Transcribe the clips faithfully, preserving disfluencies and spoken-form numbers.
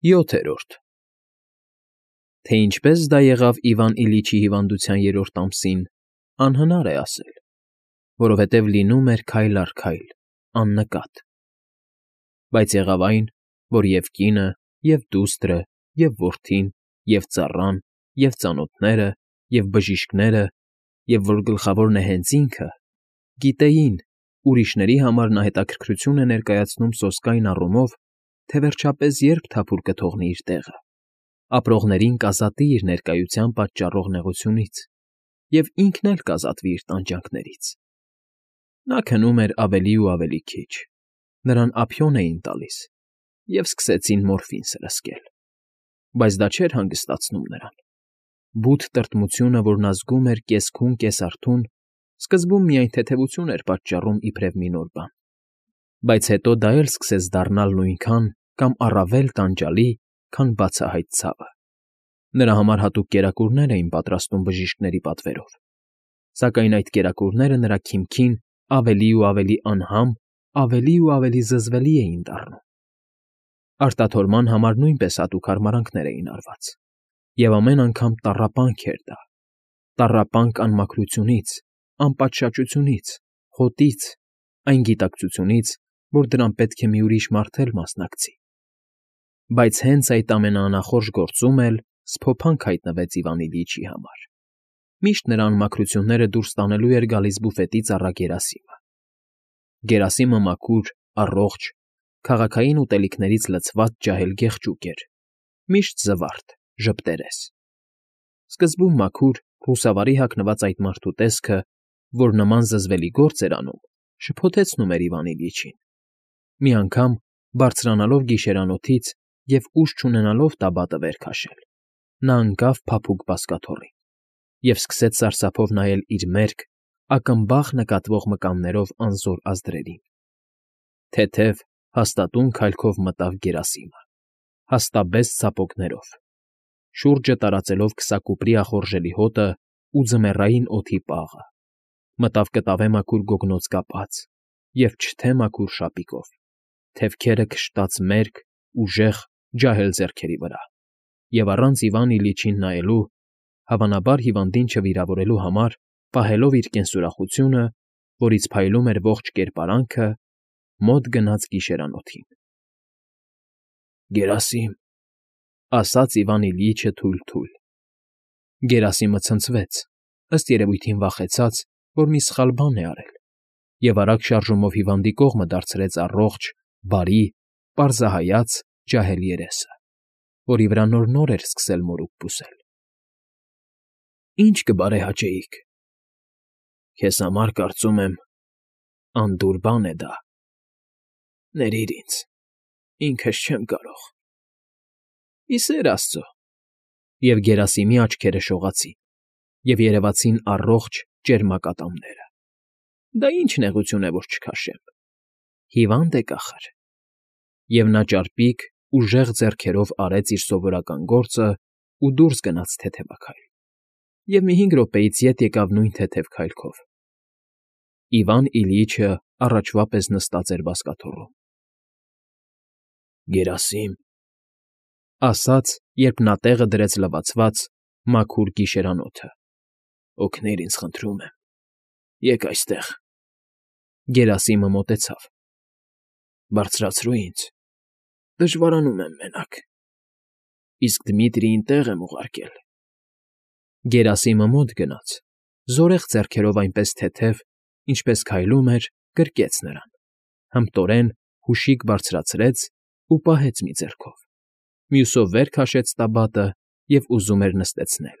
ՅՈԹԵՐՈՐԴ Թե ինչպես դա եղավ Իվան Իլիչի հիվանդության երրորդ ամսին, անհնար է ասել, որովհետև լինում էր քայլ առ քայլ, աննկատ. բայց եղավ այն, որ և կինը, և դուստրը, և որդին, և ծառան, և ծանոթները, և բժիշկները, և որ գլխավորն է հենց ինքը, գիտեին, ուրիշների համար նա հետաքրքրություն է ներկայացնում սոսկայն առումով, թե վերջապես երբ թափուր կթողնի իր տեղը, ապրողներին կազատի իր ներկայության պատճառող նեղությունից և ինքն էլ կազատվի իր տանջանքներից. նա քնում էր ավելի ու ավելի քիչ, նրան ափիոն էին տալիս և սկսեցին մորֆին սրսկել, բայց դա չէր հանգստացնում նրան. բութ տրտմությունը, որ նա զգում էր կես քուն֊կես արթուն, սկզբում միայն թեթևություն էր պատճառում իբրև մի նոր բան, բայց հետո դա էլ սկսեց դառնալ նույնքան կամ առավել տանջալի, քան բացահայտ ցավը. նրա համար հատուկ կերակուրներ էին պատրաստում բժիշկների պատվերով, սակայն այդ կերակուրները նրա քիմքին ավելի ու ավելի անհամ, ավելի ու ավելի զզվելի էին դառնում. արտաթորման համար նույնպես հատուկ հարմարանքներ էին արված, և ամեն անգամ տառապանք էր դա, տառապանք անմաքրությունից, անպատշաճությունից, խոտից, այն գիտակցությունից, որ դրան պետք է մի ուրիշ մարդ էլ մասնակցի. բայց հենց այդ ամենաանախորժ գործում էլ սփոփանք հայտնվեց Իվան Իլիչի համար. միշտ նրա անմաքրությունները դուրս տանելու էր գալիս բուֆետի ծառա Գերասիմը. Գերասիմը մաքուր, առողջ, քաղաքային ուտելիքներից լցված ջահել գեղջուկ էր, միշտ զվարթ, ժպտերես. սկզբում մաքուր, խուսավարի հագնված այդ մարդու տեսքը, որ նման զզվելի գործ էր անում, շփոթեցնում էր Իվան Իլիչին. մի անգամ, բարձրանալով գիշերանոթից և ուժ չունենալով տաբատը վեր քաշել, նա ընկավ փափուկ բազկաթոռին և սկսեց սարսափով նայել իր մերկ, ակմբախ նկատվող մկաններով անզոր ազդրերին. թեթև, հաստատուն քայլքով մտավ Գերասիմը, հաստաբեց ցապոկներով, շուրջը տարածելով քսակուպրի ախորժելի հոտն ու ձմեռային օդի պաղը, մտավ կտավե մաքուր գոգնոց կապած և չթե մաքուր շապիկով, թևքերը քշտած մերկ, ուժեղ, ջահել ձեռքերի վրա և առանց Իվան Իլիչին նայելու, հավանաբար հիվանդին չվիրավորելու համար, պահելով իր կենսուրախությունը, որից փայլում էր ողջ կերպարանքը, մոտ գնաց գիշերանոթին։ ֊ Գերասի՛մ,֊ ասաց Իվան Իլիչը թույլ֊թույլ։ Գերասիմը ցնցվեց, ըստ երևույթին վախեցած, որ մի սխալ բան է արել, և արագ շարժումով հիվանդի կողմը դարձրեց առողջ, բարի, պարզահայաց ջահել երեսը, որի վրա նոր֊նոր էր սկսել մորուք բուսել։ ֊ Ի՞նչ կբարեհաճեիք։ ֊ Քեզ համար, կարծում եմ, անդուր բան է դա։ Ներիր ինձ, ինքս չեմ կարող։ ֊ Ի սեր աստծո…֊ Եվ Գերասիմի աչքերը շողացին, և երևացին առողջ, ճերմակ ատամները։ ֊ Դա ի՞նչ նեղություն է, որ չքաշեմ… Հիվա՞նդ եք, ախըր… Եվ նա ճարպիկ, ուժեղ ձեռքերով արեց իր սովորական գործն ու դուրս գնաց թեթևաքայլ, և մի հինգ րոպեից ետ եկավ նույն թեթև քայլքով։ Իվան Իլիչը առաջվա պես նստած էր բազկաթոռում։ ֊ Գերասի՛մ,֊ ասաց, երբ նա տեղը դրեց լվացված, մաքուր գիշերանոթը,֊ օգնիր ինձ, խնդրում եմ, եկ այստեղ… Գերասիմը մոտեցավ։ ֊ Բարձրացրու ինձ, դժվարանում եմ մենակ… Իսկ Դմիտրիին տեղ եմ ուղարկել… Գերասիմը մոտ գնաց, զորեղ ձեռքերով այնպես թեթև, ինչպես քայլում էր, գրկեց նրան, հմտորեն հուշիկ բարձրացրեց ու պահեց մի ձեռքով, մյուսով վեր քաշեց տաբատը և ուզում էր նստեցնել,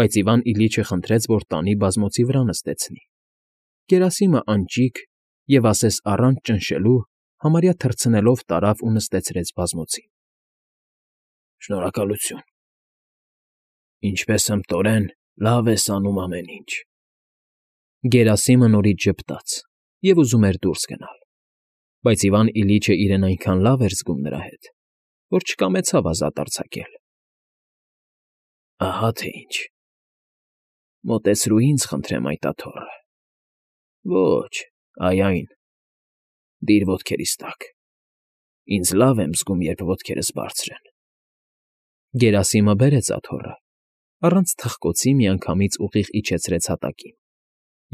բայց Իվան Իլիչը խնդրեց, որ տանի բազմոցի վրա նստեցնի։ Գերասիմը անճիք և, ասես առանց ճնշելու, համարյա թռցնելով տարավ ու նստեցրեց բազմոցին։ ֊ Շնորհակալություն… Ինչպես հմտորեն, լավ ես անում ամեն ինչ… Գերասիմը նորից ժպտաց և ուզում էր դուրս գնալ, բայց Իվան Իլիչը իրեն այնքան լավ էր զգում նրա հետ, որ չկամեցավ ազատ արձակել։ ֊ Ահա թե ինչ… Մոտեցրու ինձ, խնդրեմ, այդ աթոռը… Ոչ, այ այն… Դիր ոտքերիս տակ… Ինձ լավ եմ զգում, երբ ոտքերս բարձր են։ Գերասիմը բերեց աթոռը, առանց թխկոցի միանգամից ուղիղ իջեցրեց հատակին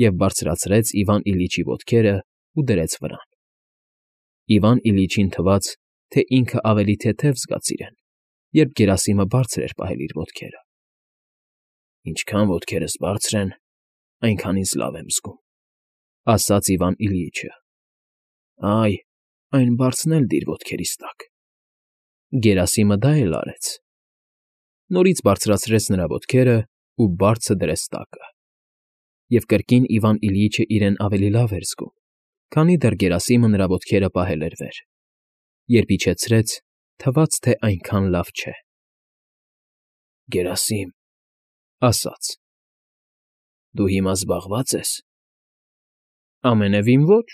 և բարձրացրեց Իվան Իլիչի ոտքերը ու դրեց վրան։ Իվան Իլիչին թվաց, թե ինքը ավելի թեթև զգաց իրեն, երբ Գերասիմը բարձր էր պահել իր ոտքերը։ Ինչքան ոտքերս բարձր են, այնքան ինձ լավ եմ զգում, ասաց Իվան Իլիչը։ Այ, այն բարձրն էլ դիր ոտքերիս տակ։ Գերասիմը դա էլ արեց։ Նորից բարձրացրեց նրա ոտքերը ու բարձը դրեց տակը։ Եվ կրկին Իվան Իլիչը իրեն ավելի լավ էր զգում, քանի դեռ Գերասիմը նրա ոտքերը պահել էր վեր։ Երբ իջեցրեց, թվաց, թե այնքան լավ չէ։ Գերասիմ, ասաց. Դու հիմա զբաղվա՞ծ ես։ Ամենևին ոչ,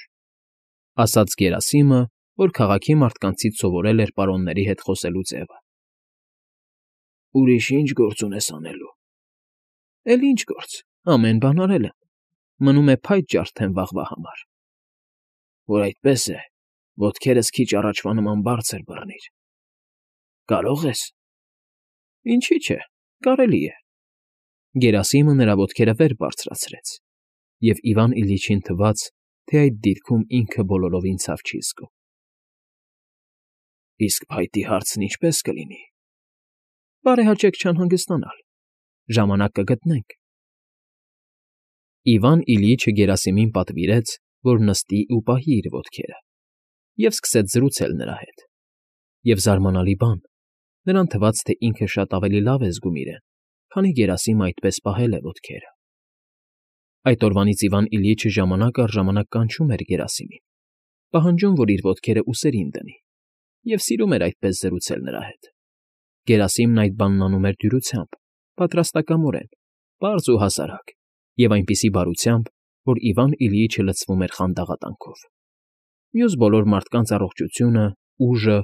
ասաց Գերասիմը, որ քաղաքի մարդկանցից սովորել էր պարոնների հետ խոսելու ձևը։ Ուրիշ ի՞նչ գործ ունես անելու։ Էլ ինչ գործ, ամեն բան արել եմ, մնում է փայտ ջարդեմ վաղվա համար։ Որ այդպես է, ոտքերս քիչ առաջվա նման բարձր բռնիր։ Կարո՞ղ ես։ Ինչի՞ չէ, կարելի է։ Գերասիմը նրա ոտքերը վեր բարձրացրեց, և Իվան Իլիչին թվաց, թե այդ դիրքում ինքը բոլորովին ցավ չի զգում։ Իսկ փայտի հարցն ինչպե՞ս կլինի։ Բարեհաճեք չանհանգստանալ, ժամանակ կգտնենք։ Իվան Իլիչը Գերասիմին պատվիրեց, որ նստի ու պահի իր ոտքերը, և սկսեց զրուցել նրա հետ։ Եվ զարմանալի բան, նրան թվաց, թե ինքը շատ ավելի լավ է զգում իրեն, քանի Գերասիմը այդպես պահել է ոտքերը։ Այդ օրվանից Իվան Իլիչը ժամանակ առ ժամանակ կանչում էր Գերասիմին, պահանջում, որ իր ոտքերը ուսերին դնի, և սիրում էր այդպես զրուցել նրա հետ։ Գերասիմն այդ բանն անում էր դյուրությամբ, պատրաստակամորեն, պարզ ու հասարակ, և այնպիսի բարությամբ, որ Իվան Իլիչը լցվում էր խանդաղատանքով։ Մյուս բոլոր մարդկանց առողջությունը, ուժը,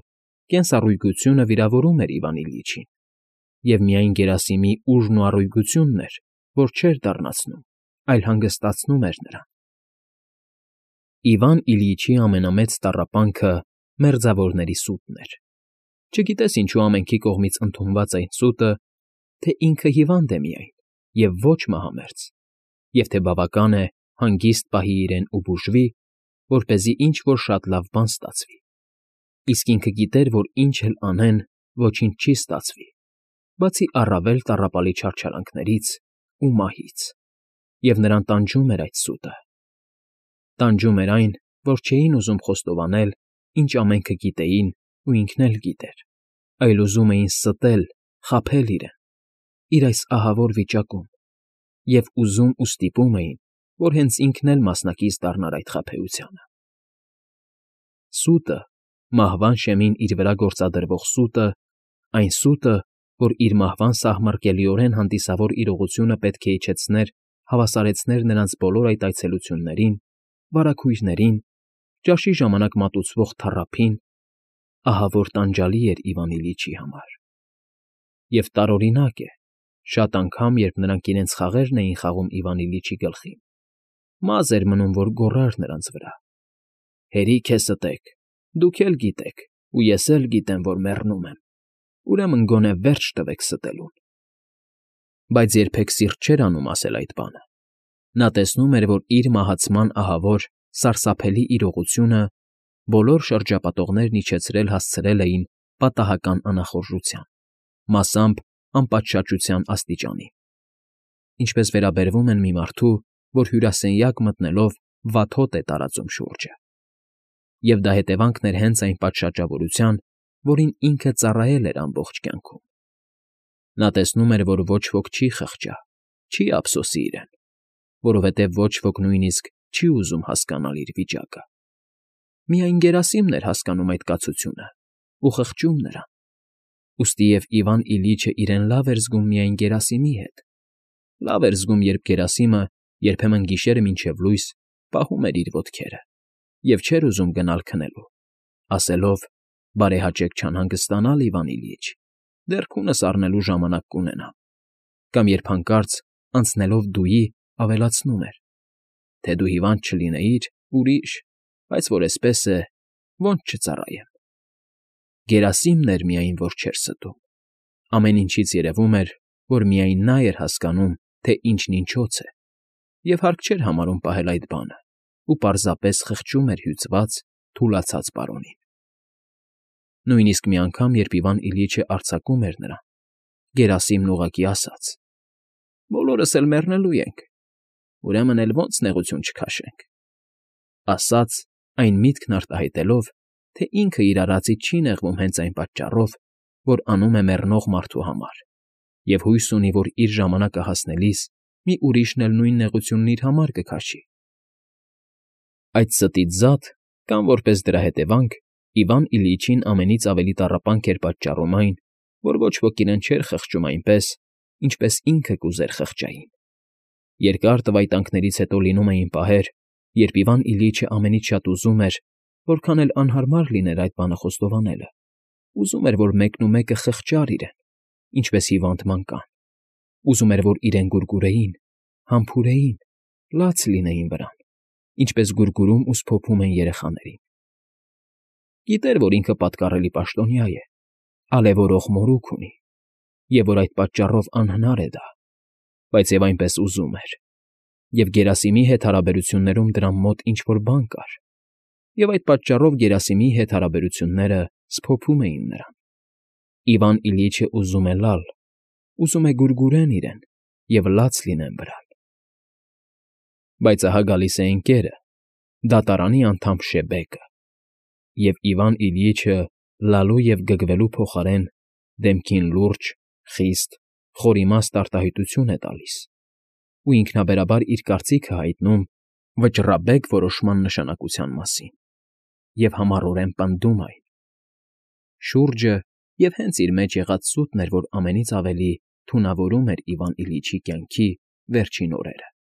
կենսառույգությունը վիրավորում էր Իվան Իլիչին, և միայն Գերասիմի ուժն ու առույգությունն էր, որ չէր դառնացնում, այլ հանգստացնում էր նրան։ Իվան Իլիչի ամենամեծ տառապանքը մերձավորների սուտն էր։ Չգիտես ինչու ամենքի կողմից ընդունված այն սուտը, թե ինքը հիվանդ է միայն և ոչ մահամերձ, և թե բավական է հանգիստ պահի իրեն ու բուժվի, որպեսզի ինչ֊որ շատ լավ բան ստացվի։ Իսկ ինքը գիտեր, որ ինչ էլ անեն, ոչինչ չի ստացվի, բացի առավել տառապալի չարչարանքներից ու մահից, և նրան տանջում էր այդ սուտը։ Տանջում էր այն, որ չէին ուզում խոստովանել, ինչ ամենքը գիտեին ու ինքն էլ գիտեր, այլ ուզում էին ստել, խաբել իրեն, իր այս ահավոր վիճակում, և ուզում ու ստիպում էին, որ հենց ինքն էլ մասնակից դառնար այդ խաբեությանը։ Սուտը, մահվան շեմին իր վրա գործադրվող սուտը, այն սուտը, որ իր մահվան սահմռկելիորեն հանդիսավոր իրողությունը պետք է իջեցներ, հավասարեցներ նրանց բոլոր այդ այցելություններին, վարագույրներին, ճաշի ժամանակ մատուցվող թառափին, ահա որ տանջալի էր Իվան Իլիչի համար։ Եվ տարօրինակ է, շատ անգամ, երբ նրանք իրենց խաղերն էին խաղում Իվան Իլիչի գլխին, մազ էր մնում, որ գոռար նրանց վրա. «Հերիք է ստեք, դուք էլ գիտեք, ու ես էլ գիտեմ, որ մեռնում եմ, ուրեմն գոնե վերջ տվեք ստելուն»։ Բայց երբեք սիրտ չէր անում ասել այդ բանը։ Նա տեսնում էր, որ իր մահացման ահավոր, սարսափելի իրողությունը բոլոր շրջապատողներն իջեցրել հասցրել էին պատահական անախորժության, մասամբ անպատշաճության աստիճանի, ինչպես վերաբերվում են մի մարդու, որ հյուրասենյակ մտնելով վաթոտ է տարածում շուրջը։ Եվ դա հետևանքն էր հենց այն պատշաճավորության, որին ինքը ծառայել էր ամբողջ կյանքում։ Նա տեսնում էր, որ ոչ ոք չի խղճա, չի ափսոսի իրեն, որովհետև ոչ ոք նույնիսկ չի ուզում հասկանալ իր վիճակը։ Միայն Գերասիմն էր հասկանում այդ կացությունը ու խղճում նրան։ Ուստիև Իվան Իլիչը իրեն լավ էր զգում միայն Գերասիմի հետ։ Լավ էր զգում, երբ Գերասիմը, երբեմն գիշերը մինչև լույս, պահում էր իր ոտքերը և չէր ուզում գնալ քնելու, ասելով. «Բարեհաճեք չանհանգստանալ, Իվան Իլիչ, դեռ քունս առնելու ժամանակ կունենամ»։ Կամ երբ հանկարծ, անցնելով դուի, ավելացնում էր. «Թե դու հիվանդ չլինեիր, ուրիշ, բայց որ էսպես է, ոնց չծառայեմ»։ Գերասիմն էր միայն, որ չէր ստում։ Ամեն ինչից երևում էր, որ միայն նա էր հասկանում, թե ինչն ինչոց է, և հարկ չէր համարում պահել այդ բանը ու պարզապես խղճում էր հյուծված, թուլացած պարոնին։ Նույնիսկ մի անգամ, երբ Իվան Իլիչը արձակում էր նրան, գերասիմն ուղղակի ասաց. «Բոլորս էլ մեռնելու ենք, ուրեմն էլ ո՞նց նեղություն չքաշենք», ասաց, այն միտքն արտահայտելով, թե ինքը իր արածից չի նեղվում հենց այն պատճառով, որ անում է մեռնող մարդու համար, և հույս ունի, որ իր ժամանակը հասնելիս մի ուրիշն էլ նույն նեղությունն իր համար կքաշի։ Այդ ստից զատ, կամ որպես դրա հետևանք, Իվան Իլիչին ամենից ավելի տառապանք էր պատճառում այն, որ ոչ ոք իրեն չէր խղճում այնպես, ինչպես ինքը կուզեր խղճային։ Երկար տվայտանքներից հետո լինում էին պահեր, երբ Իվան Իլիչը ամենից շատ ուզում էր, որքան էլ անհարմար լիներ այդ բանը խոստովանելը, ուզում էր, որ մեկնումեկը խղճար իրեն, ինչպես հիվանդ մանկան, ուզում էր, որ իրեն գուրգուրեին, համբուրեին, լաց լինեին վրան, ինչպես գուրգուրում ու սփոփում են երեխաներին։ Գիտեր, որ ինքը պատկառելի պաշտոնյա է, ալևորող մորուք ունի, և որ այդ պատճառով անհնար է դա, բայց և այնպես ուզում էր, և գերասիմի հետ հարաբերություններում դրան մոտ ինչ֊որ բան կար, և այդ պատճառով գերասիմի հետ հարաբերությունները սփոփում էին նրան։ Իվան Իլիչը ուզում է լալ, ուզում է գուրգուրեն իրեն և լաց լինեն վրան։ Բայց ահա գալիս է ընկերը, դատարանի անդամ Շեբեկը, և Իվան Իլիչը լալու և գգվելու փոխարեն դեմքին լուրջ, խիստ, խորիմաստ արտահայտություն է տալիս ու ինքնաբերաբար իր կարծիքը հայտնում վճռաբեկ որոշման նշանակության մասին և համառորեն պնդում այն։ Շուրջը և հենց իր մեջ եղած սուտն էր, որ ամենից ավելի թունավորում էր Իվան Իլիչի կյանքի վերջին օրերը։